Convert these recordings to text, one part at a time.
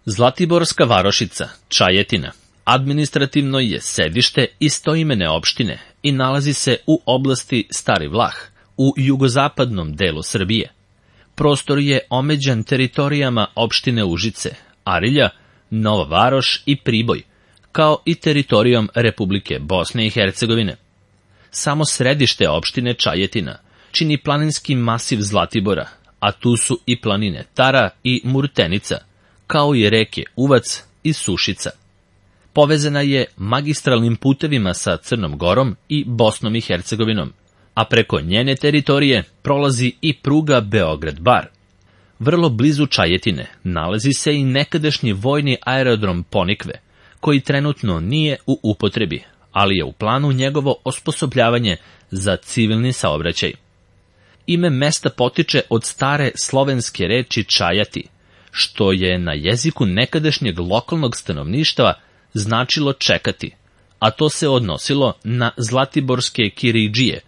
Zlatiborska varošica, Čajetina, administrativno je sedište istoimene opštine i nalazi se u oblasti Stari Vlah, u jugozapadnom delu Srbije. Prostor je omeđan teritorijama opštine Užice, Arilja, Nova Varoš i Priboj, kao i teritorijom Republike Bosne i Hercegovine. Samo središte opštine Čajetina čini planinski masiv Zlatibora, a tu su i planine Tara i Murtenica, kao i reke Uvac i Sušica. Povezana je magistralnim putevima sa Crnom Gorom i Bosnom i Hercegovinom, a preko njene teritorije prolazi i pruga Beograd-Bar. Vrlo blizu Čajetine nalazi se i nekadašnji vojni aerodrom Ponikve, koji trenutno nije u upotrebi, ali je u planu njegovo osposobljavanje za civilni saobraćaj. Ime mesta potiče od stare slovenske reči čajati, što je na jeziku nekadašnjeg lokalnog stanovništva značilo čekati, a to se odnosilo na zlatiborske kiridžije,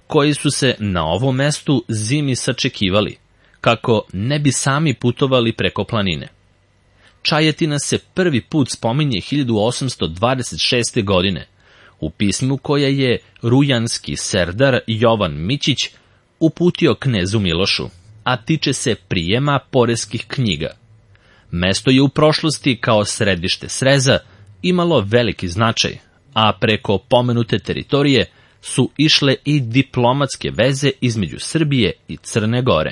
koji su se na ovom mestu zimi sačekivali, kako ne bi sami putovali preko planine. Čajetina se prvi put spominje 1826. godine, u pismu koje je rujanski serdar Jovan Mićić uputio knezu Milošu, a tiče se prijema poreskih knjiga. Mesto je u prošlosti kao središte sreza imalo veliki značaj, a preko pomenute teritorije su išle i diplomatske veze između Srbije i Crne Gore.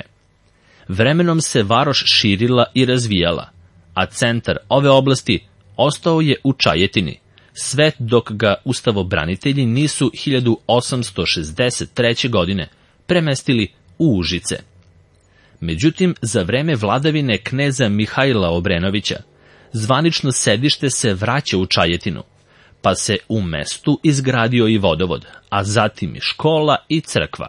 Vremenom se varoš širila i razvijala, a centar ove oblasti ostao je u Čajetini, sve dok ga ustavobranitelji nisu 1863. godine premestili u Užice. Međutim, za vreme vladavine kneza Mihajla Obrenovića, zvanično sedište se vraća u Čajetinu, pa se u mestu izgradio i vodovod, a zatim i škola i crkva.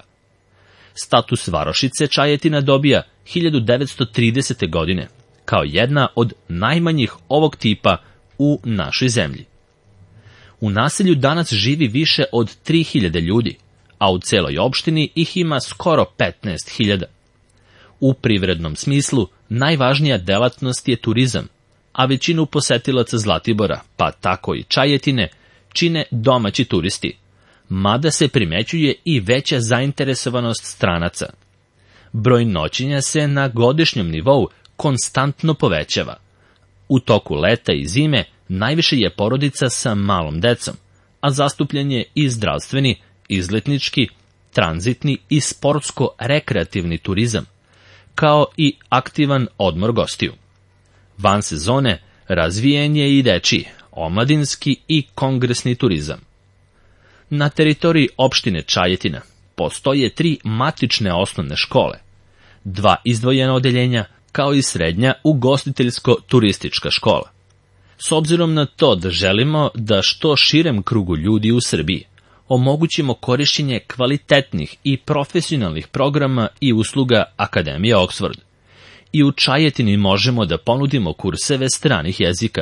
Status varošice Čajetina dobija 1930. godine, kao jedna od najmanjih ovog tipa u našoj zemlji. U naselju danas živi više od 3000 ljudi, a u celoj opštini ih ima skoro 15.000. U privrednom smislu najvažnija delatnost je turizam, a većinu posetilaca Zlatibora, pa tako i Čajetine, čine domaći turisti, mada se primećuje i veća zainteresovanost stranaca. Broj noćenja se na godišnjem nivou konstantno povećava. U toku leta i zime najviše je porodica sa malom decom, a zastupljen je i zdravstveni, izletnički, tranzitni i sportsko-rekreativni turizam, kao i aktivan odmor gostiju. Van sezone razvijen je i dečiji, omladinski i kongresni turizam. Na teritoriji opštine Čajetina postoje 3 matične osnovne škole, 2 izdvojena odeljenja, kao i srednja ugostiteljsko-turistička škola. S obzirom na to da želimo da što širem krugu ljudi u Srbiji omogućimo korišćenje kvalitetnih i profesionalnih programa i usluga Akademije Oxford, i u Čajetini možemo da ponudimo kurseve stranih jezika,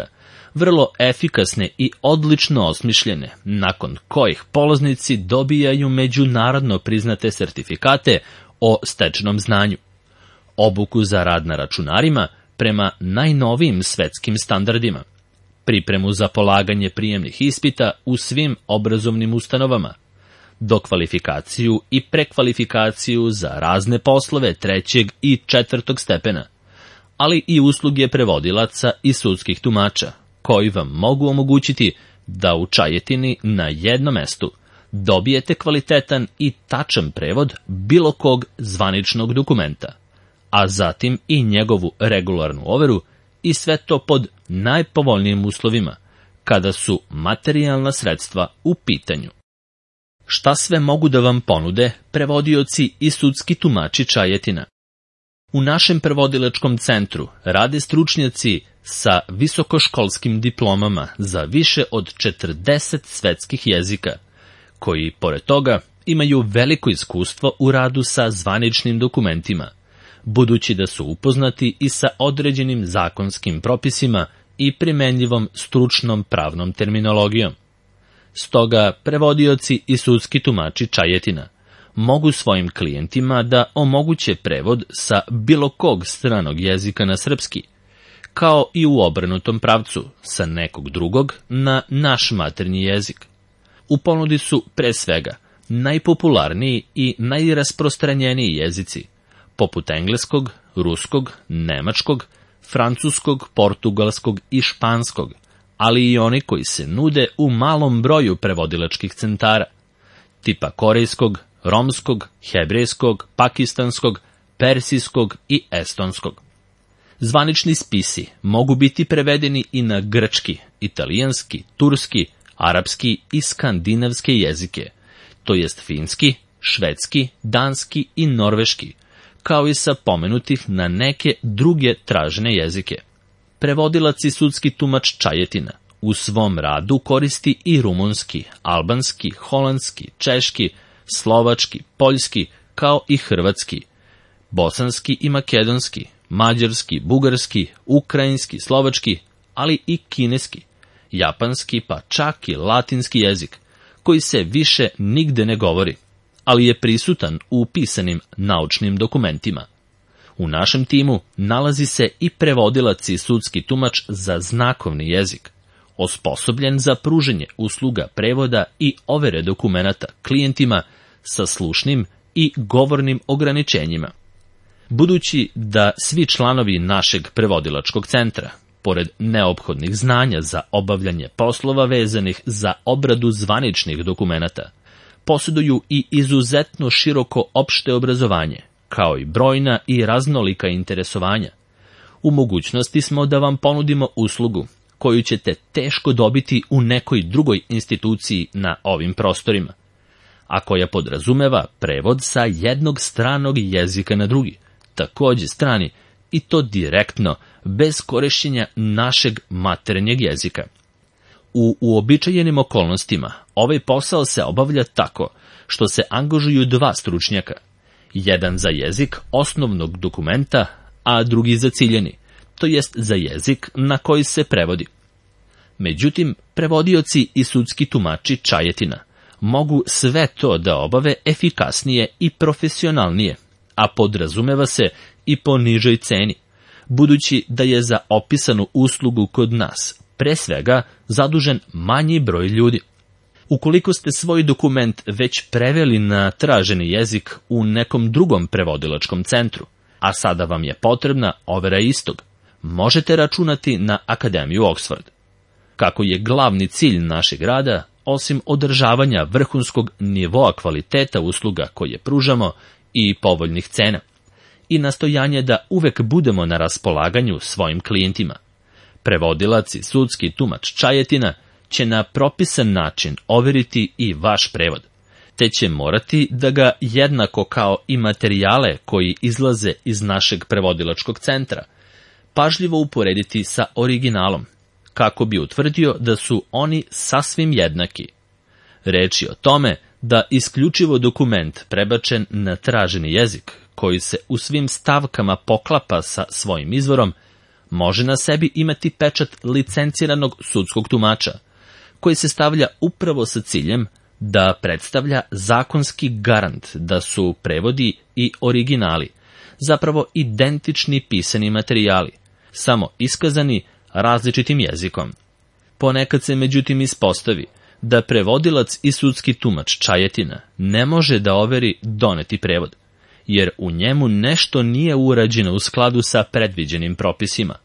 vrlo efikasne i odlično osmišljene, nakon kojih polaznici dobijaju međunarodno priznate sertifikate o stečenom znanju, obuku za rad na računarima prema najnovijim svetskim standardima, pripremu za polaganje prijemnih ispita u svim obrazovnim ustanovama, dokvalifikaciju i prekvalifikaciju za razne poslove 3. i 4. stepena, ali i usluge prevodilaca i sudskih tumača, koji vam mogu omogućiti da u Čajetini na jednom mestu dobijete kvalitetan i tačan prevod bilo kog zvaničnog dokumenta, a zatim i njegovu regularnu overu, i sve to pod najpovoljnijim uslovima, kada su materijalna sredstva u pitanju. Šta sve mogu da vam ponude prevodioci i sudski tumači Čajetina? U našem prevodilačkom centru rade stručnjaci sa visokoškolskim diplomama za više od 40 svetskih jezika, koji, pored toga, imaju veliko iskustvo u radu sa zvaničnim dokumentima, budući da su upoznati i sa određenim zakonskim propisima i primenljivom stručnom pravnom terminologijom. Stoga, prevodioci i sudski tumači Čajetina mogu svojim klijentima da omoguće prevod sa bilo kog stranog jezika na srpski, kao i u obrnutom pravcu, sa nekog drugog na naš maternji jezik. U ponudi su, pre svega, najpopularniji i najrasprostranjeniji jezici, poput engleskog, ruskog, nemačkog, francuskog, portugalskog i španskog, ali i oni koji se nude u malom broju prevodilačkih centara, tipa korejskog, romskog, hebrejskog, pakistanskog, persijskog i estonskog. Zvanični spisi mogu biti prevedeni i na grčki, italijanski, turski, arapski i skandinavske jezike, to jest finski, švedski, danski i norveški, kao i sa pomenutih na neke druge tražene jezike. Prevodilac i sudski tumač Čajetina u svom radu koristi i rumunski, albanski, holandski, češki, slovački, poljski, kao i hrvatski, bosanski i makedonski, mađarski, bugarski, ukrajinski, slovački, ali i kineski, japanski, pa čak i latinski jezik, koji se više nigde ne govori, ali je prisutan u pisanim naučnim dokumentima. U našem timu nalazi se i prevodilac i sudski tumač za znakovni jezik, osposobljen za pruženje usluga prevoda i overe dokumenata klijentima sa slušnim i govornim ograničenjima. Budući da svi članovi našeg prevodilačkog centra, pored neophodnih znanja za obavljanje poslova vezanih za obradu zvaničnih dokumenata, posjeduju i izuzetno široko opšte obrazovanje, kao i brojna i raznolika interesovanja, u mogućnosti smo da vam ponudimo uslugu koju ćete teško dobiti u nekoj drugoj instituciji na ovim prostorima, a koja podrazumeva prevod sa jednog stranog jezika na drugi, takođe strani, i to direktno, bez korišćenja našeg maternjeg jezika. U uobičajenim okolnostima ovaj posao se obavlja tako što se angažuju dva stručnjaka, jedan za jezik osnovnog dokumenta, a drugi za ciljani, to jest za jezik na koji se prevodi. Međutim, prevodioci i sudski tumači Čajetina mogu sve to da obave efikasnije i profesionalnije, a podrazumeva se i po nižoj ceni, budući da je za opisanu uslugu kod nas pre svega zadužen manji broj ljudi. Ukoliko ste svoj dokument već preveli na traženi jezik u nekom drugom prevodilačkom centru, a sada vam je potrebna overa istog, možete računati na Akademiju Oxford. Kako je glavni cilj našeg rada, osim održavanja vrhunskog nivoa kvaliteta usluga koje pružamo i povoljnih cena, i nastojanje da uvek budemo na raspolaganju svojim klijentima, prevodilac i sudski tumač Čajetina će na propisan način overiti i vaš prevod, te će morati da ga jednako kao i materijale koji izlaze iz našeg prevodilačkog centra, pažljivo uporediti sa originalom, kako bi utvrdio da su oni sasvim jednaki. Reč je o tome da isključivo dokument prebačen na traženi jezik, koji se u svim stavkama poklapa sa svojim izvorom, može na sebi imati pečat licenciranog sudskog tumača, koji se stavlja upravo sa ciljem da predstavlja zakonski garant da su prevodi i originali zapravo identični pisani materijali, samo iskazani različitim jezikom. Ponekad se međutim ispostavi da prevodilac i sudski tumač Čajetina ne može da overi doneti prevod, jer u njemu nešto nije urađeno u skladu sa predviđenim propisima,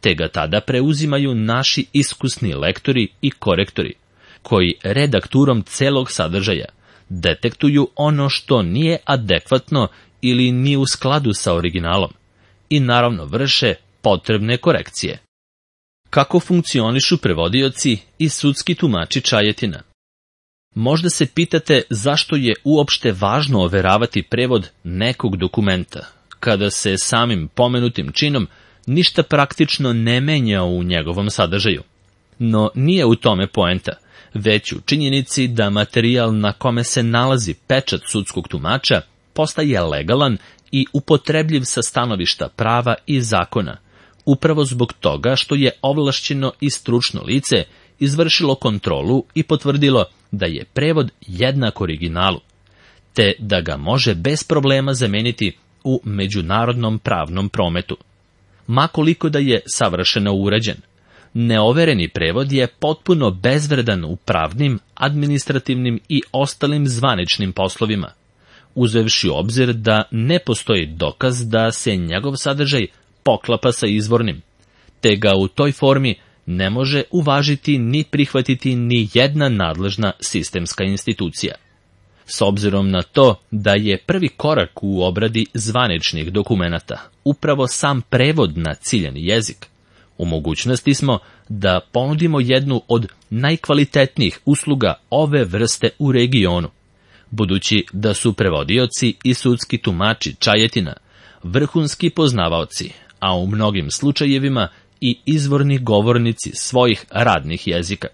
te ga tada preuzimaju naši iskusni lektori i korektori, koji redakturom celog sadržaja detektuju ono što nije adekvatno ili nije u skladu sa originalom i naravno vrše potrebne korekcije. Kako funkcionišu prevodioci i sudski tumači Čajetina? Možda se pitate zašto je uopšte važno overavati prevod nekog dokumenta, kada se samim pomenutim činom ništa praktično ne menja u njegovom sadržaju. No nije u tome poenta, već u činjenici da materijal na kome se nalazi pečat sudskog tumača postaje legalan i upotrebljiv sa stanovišta prava i zakona, upravo zbog toga što je ovlašćeno i stručno lice izvršilo kontrolu i potvrdilo da je prevod jednak originalu, te da ga može bez problema zameniti u međunarodnom pravnom prometu. makoliko da je savršeno urađen. Neovereni prevod je potpuno bezvredan u pravnim, administrativnim i ostalim zvaničnim poslovima, uzevši u obzir da ne postoji dokaz da se njegov sadržaj poklapa sa izvornim, te ga u toj formi ne može uvažiti ni prihvatiti ni jedna nadležna sistemska institucija. S obzirom na to da je prvi korak u obradi zvaničnih dokumenata upravo sam prevod na ciljani jezik, u mogućnosti smo da ponudimo jednu od najkvalitetnijih usluga ove vrste u regionu, budući da su prevodioci i sudski tumači Čajetina vrhunski poznavaoci, a u mnogim slučajevima i izvorni govornici svojih radnih jezika.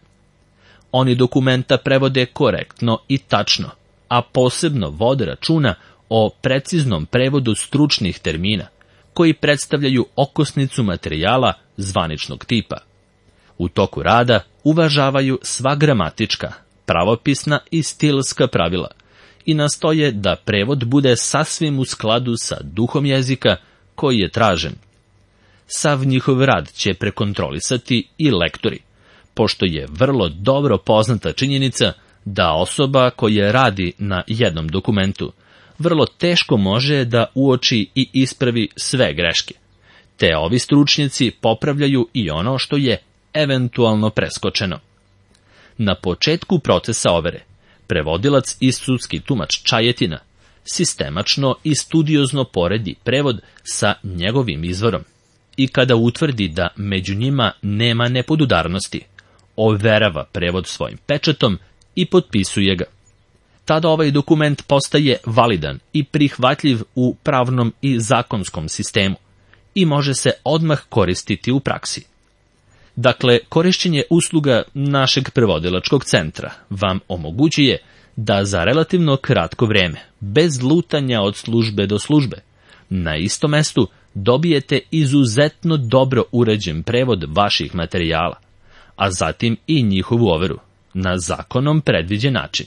Oni dokumenta prevode korektno i tačno, a posebno vode računa o preciznom prevodu stručnih termina, koji predstavljaju okosnicu materijala zvaničnog tipa. U toku rada uvažavaju sva gramatička, pravopisna i stilska pravila i nastoje da prevod bude sasvim u skladu sa duhom jezika koji je tražen. Sav njihov rad će prekontrolisati i lektori, pošto je vrlo dobro poznata činjenica da osoba koja radi na jednom dokumentu vrlo teško može da uoči i ispravi sve greške, te ovi stručnjaci popravljaju i ono što je eventualno preskočeno. Na početku procesa overe, prevodilac i sudski tumač Čajetina sistemačno i studiozno poredi prevod sa njegovim izvorom i kada utvrdi da među njima nema nepodudarnosti, overava prevod svojim pečatom i potpisuje ga. Tada ovaj dokument postaje validan i prihvatljiv u pravnom i zakonskom sistemu i može se odmah koristiti u praksi. Dakle, korišćenje usluga našeg prevodilačkog centra vam omogućuje da za relativno kratko vreme, bez lutanja od službe do službe, na istom mestu dobijete izuzetno dobro uređen prevod vaših materijala, a zatim i njihovu overu, na zakonom predviđen način.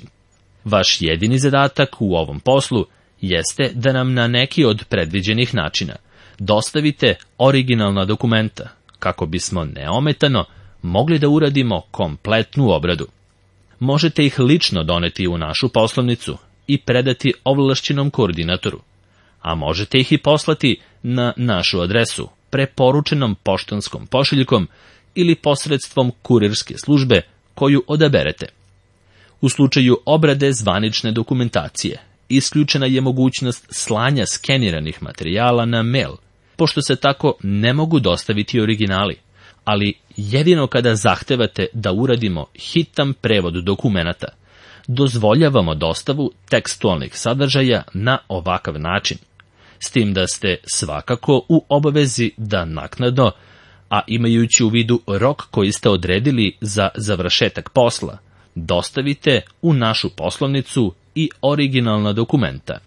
Vaš jedini zadatak u ovom poslu jeste da nam na neki od predviđenih načina dostavite originalna dokumenta, kako bismo neometano mogli da uradimo kompletnu obradu. Možete ih lično doneti u našu poslovnicu i predati ovlašćenom koordinatoru, a možete ih i poslati na našu adresu preporučenom poštanskom pošiljkom ili posredstvom kurirske službe koju odaberete. U slučaju obrade zvanične dokumentacije, isključena je mogućnost slanja skeniranih materijala na mail, pošto se tako ne mogu dostaviti originali, ali jedino kada zahtevate da uradimo hitan prevod dokumenata, dozvoljavamo dostavu tekstualnih sadržaja na ovakav način, s tim da ste svakako u obavezi da naknadno, a imajući u vidu rok koji ste odredili za završetak posla, dostavite u našu poslovnicu i originalna dokumenta.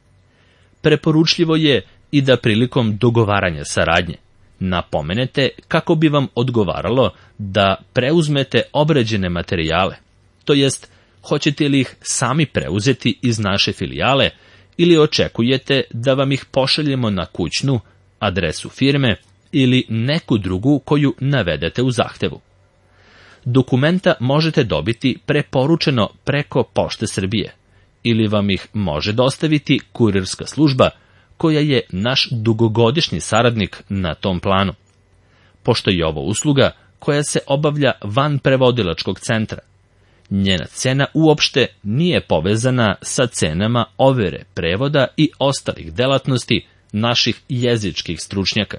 Preporučljivo je i da prilikom dogovaranja saradnje napomenete kako bi vam odgovaralo da preuzmete obrađene materijale, to jest hoćete li ih sami preuzeti iz naše filijale ili očekujete da vam ih pošaljemo na kućnu, adresu firme ili neku drugu koju navedete u zahtevu. Dokumenta možete dobiti preporučeno preko Pošte Srbije ili vam ih može dostaviti kurirska služba koja je naš dugogodišnji saradnik na tom planu. Pošto je ovo usluga koja se obavlja van prevodilačkog centra, njena cena uopšte nije povezana sa cenama overe prevoda i ostalih delatnosti naših jezičkih stručnjaka,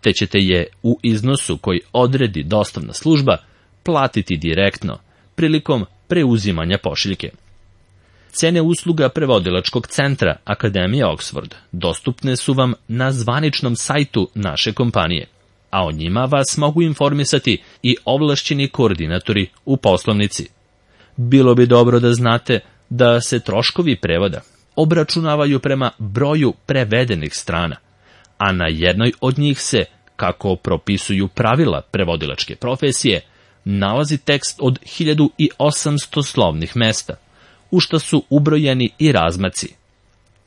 te ćete je u iznosu koji odredi dostavna služba platiti direktno prilikom preuzimanja pošiljke. Cene usluga prevodilačkog centra Akademije Oxford dostupne su vam na zvaničnom sajtu naše kompanije, a o njima vas mogu informisati i ovlašćeni koordinatori u poslovnici. Bilo bi dobro da znate da se troškovi prevoda obračunavaju prema broju prevedenih strana, a na jednoj od njih se, kako propisuju pravila prevodilačke profesije, nalazi tekst od 1800 slovnih mesta, u što su ubrojeni i razmaci.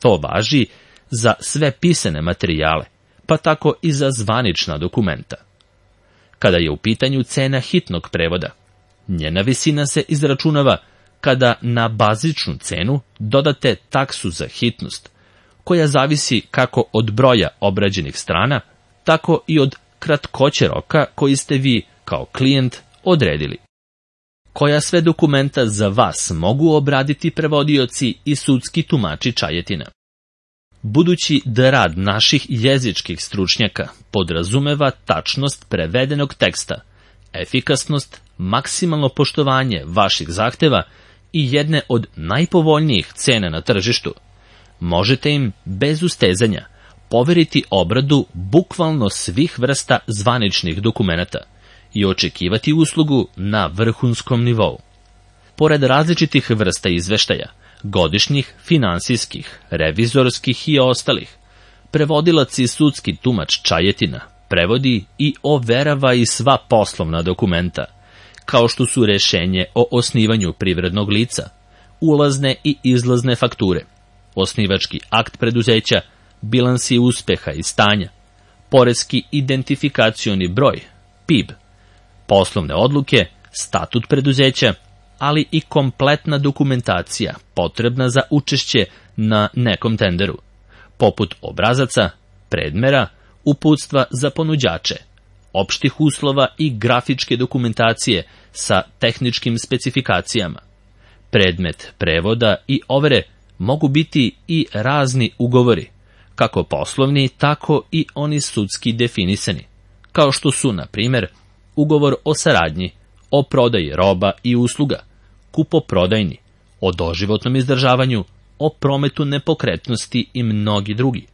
To važi za sve pisane materijale, pa tako i za zvanična dokumenta. Kada je u pitanju cena hitnog prevoda, njena visina se izračunava kada na bazičnu cenu dodate taksu za hitnost, koja zavisi kako od broja obrađenih strana, tako i od kratkoće roka koji ste vi, kao klijent, odredili. Koja sve dokumenta za vas mogu obraditi prevodioci i sudski tumači Čajetina? Budući da rad naših jezičkih stručnjaka podrazumeva tačnost prevedenog teksta, efikasnost, maksimalno poštovanje vaših zahteva i jedne od najpovoljnijih cena na tržištu, možete im bez ustezanja poveriti obradu bukvalno svih vrsta zvaničnih dokumenata i očekivati uslugu na vrhunskom nivou. Pored različitih vrsta izveštaja, godišnjih, finansijskih, revizorskih i ostalih, prevodilac i sudski tumač Čajetina prevodi i overava i sva poslovna dokumenta, kao što su rešenje o osnivanju privrednog lica, ulazne i izlazne fakture, osnivački akt preduzeća, bilansi uspeha i stanja, poreski identifikacioni broj, PIB, poslovne odluke, statut preduzeća, ali i kompletna dokumentacija potrebna za učešće na nekom tenderu, poput obrazaca, predmera, uputstva za ponuđače, opštih uslova i grafičke dokumentacije sa tehničkim specifikacijama. Predmet prevoda i overe mogu biti i razni ugovori, kako poslovni, tako i oni sudski definisani, kao što su, na primjer, ugovor o saradnji, o prodaji roba i usluga, kupoprodajni, o doživotnom izdržavanju, o prometu nepokretnosti i mnogi drugi.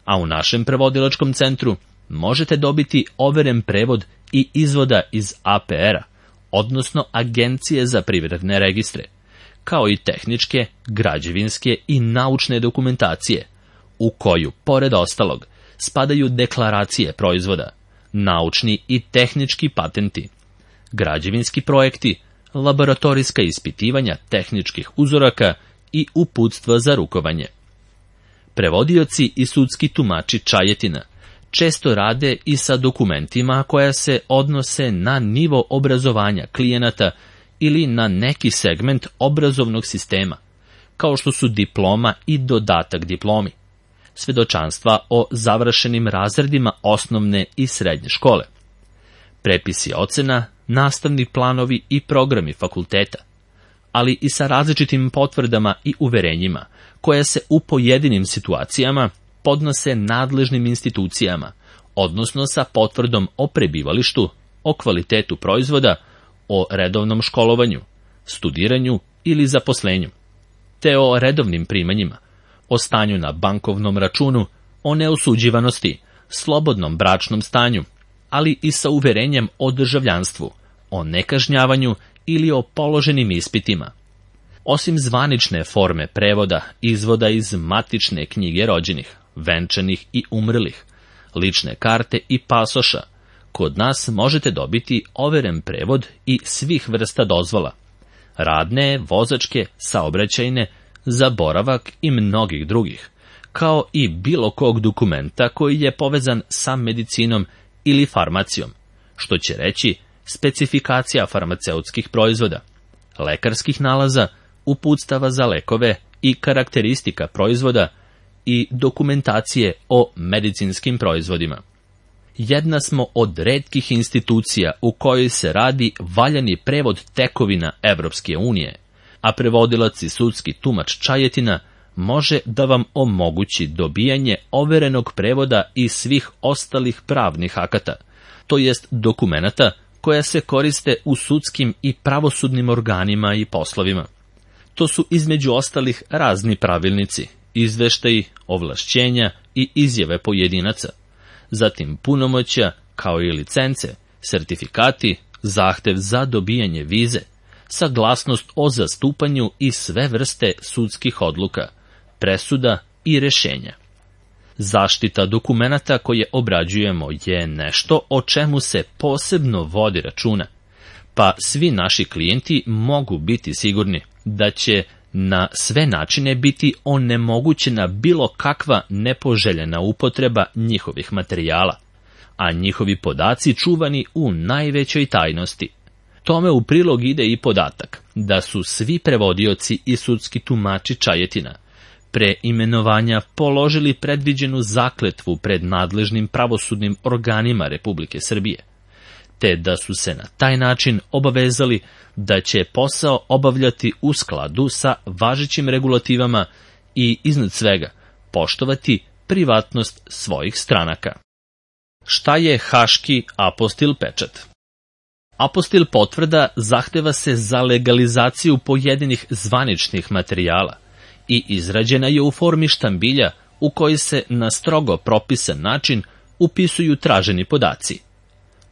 A u našem prevodilačkom centru možete dobiti overen prevod i izvoda iz APR-a, odnosno Agencije za privredne registre, kao i tehničke, građevinske i naučne dokumentacije, u koju, pored ostalog, spadaju deklaracije proizvoda, naučni i tehnički patenti, građevinski projekti, laboratorijska ispitivanja tehničkih uzoraka i uputstva za rukovanje. Prevodioci i sudski tumači Čajetina često rade i sa dokumentima koja se odnose na nivo obrazovanja klijenata ili na neki segment obrazovnog sistema, kao što su diploma i dodatak diplomi, svedočanstva o završenim razredima osnovne i srednje škole, prepisi ocena, nastavni planovi i programi fakulteta, ali i sa različitim potvrdama i uverenjima koje se u pojedinim situacijama podnose nadležnim institucijama, odnosno sa potvrdom o prebivalištu, o kvalitetu proizvoda, o redovnom školovanju, studiranju ili zaposlenju, te o redovnim primanjima, o stanju na bankovnom računu, o neosuđivanosti, slobodnom bračnom stanju, ali i sa uverenjem o državljanstvu, o nekažnjavanju ili o položenim ispitima. Osim zvanične forme prevoda, izvoda iz matične knjige rođenih, venčanih i umrlih, lične karte i pasoša, kod nas možete dobiti overen prevod i svih vrsta dozvola, radne, vozačke, saobraćajne, za boravak i mnogih drugih, kao i bilo kog dokumenta koji je povezan sa medicinom ili farmacijom, što će reći specifikacija farmaceutskih proizvoda, lekarskih nalaza, uputstava za lekove i karakteristika proizvoda i dokumentacije o medicinskim proizvodima. Jedna smo od retkih institucija u kojoj se radi valjani prevod tekovina Evropske unije, a prevodilac i sudski tumač Čajetina može da vam omogući dobijanje overenog prevoda i svih ostalih pravnih akata, to jest dokumenata koja se koriste u sudskim i pravosudnim organima i poslovima. To su između ostalih razni pravilnici, izveštaji, ovlašćenja i izjave pojedinaca, zatim punomoćja kao i licence, sertifikati, zahtev za dobijanje vize, saglasnost o zastupanju i sve vrste sudskih odluka, presuda i rešenja. Zaštita dokumenata koje obrađujemo je nešto o čemu se posebno vodi računa, pa svi naši klijenti mogu biti sigurni da će na sve načine biti onemogućena bilo kakva nepoželjena upotreba njihovih materijala, a njihovi podaci čuvani u najvećoj tajnosti. Tome u prilog ide i podatak da su svi prevodioci i sudski tumači Čajetina pre imenovanja položili predviđenu zakletvu pred nadležnim pravosudnim organima Republike Srbije, te da su se na taj način obavezali da će posao obavljati u skladu sa važećim regulativama i, iznad svega, poštovati privatnost svojih stranaka. Šta je Haški apostil pečat? Apostil potvrda zahteva se za legalizaciju pojedinih zvaničnih materijala i izrađena je u formi štambilja u koji se na strogo propisan način upisuju traženi podaci.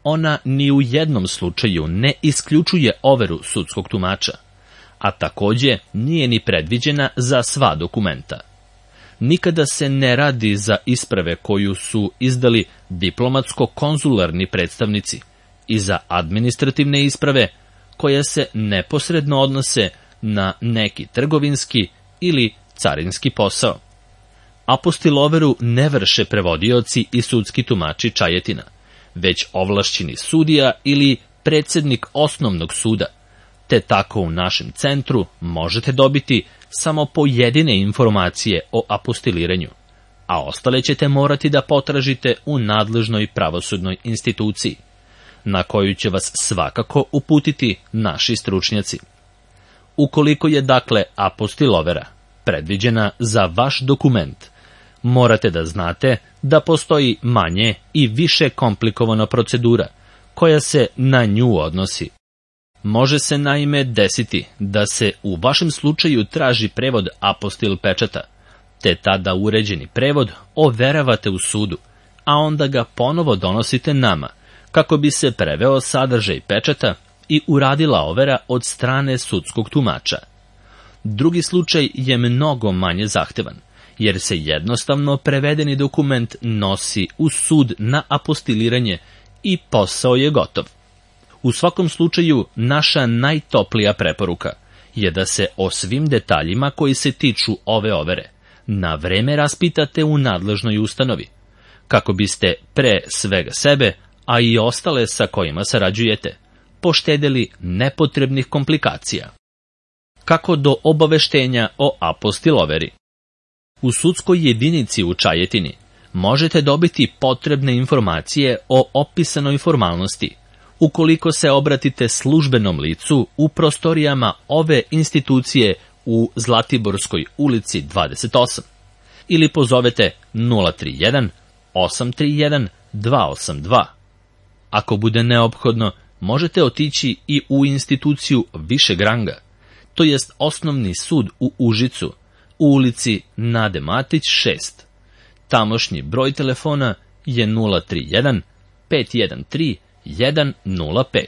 Ona ni u jednom slučaju ne isključuje overu sudskog tumača, a takođe nije ni predviđena za sva dokumenta. Nikada se ne radi za isprave koju su izdali diplomatsko-konzularni predstavnici i za administrativne isprave koje se neposredno odnose na neki trgovinski ili carinski posao. Apostiloveru ne vrše prevodioci i sudski tumači Čajetina, već ovlašćeni sudija ili predsednik osnovnog suda, te tako u našem centru možete dobiti samo pojedine informacije o apostiliranju, a ostale ćete morati da potražite u nadležnoj pravosudnoj instituciji, na koju će vas svakako uputiti naši stručnjaci. Ukoliko je dakle apostilovera predviđena za vaš dokument, morate da znate da postoji manje i više komplikovana procedura koja se na nju odnosi. Može se naime desiti da se u vašem slučaju traži prevod apostil pečata, te tada uređeni prevod overavate u sudu, a onda ga ponovo donosite nama, kako bi se preveo sadržaj pečata i uradila overa od strane sudskog tumača. Drugi slučaj je mnogo manje zahtevan, jer se jednostavno prevedeni dokument nosi u sud na apostiliranje i posao je gotov. U svakom slučaju, naša najtoplija preporuka je da se o svim detaljima koji se tiču ove overe na vreme raspitate u nadležnoj ustanovi, kako biste pre svega sebe, a i ostale sa kojima sarađujete, poštedeli nepotrebnih komplikacija. Kako do obaveštenja o apostiloveri? U sudskoj jedinici u Čajetini možete dobiti potrebne informacije o opisanoj formalnosti, ukoliko se obratite službenom licu u prostorijama ove institucije u Zlatiborskoj ulici 28 ili pozovete 031 831 282. Ako bude neophodno, možete otići i u instituciju višeg ranga, to jest osnovni sud u Užicu, u ulici Nade Matić 6. Tamošnji broj telefona je 031 513 105.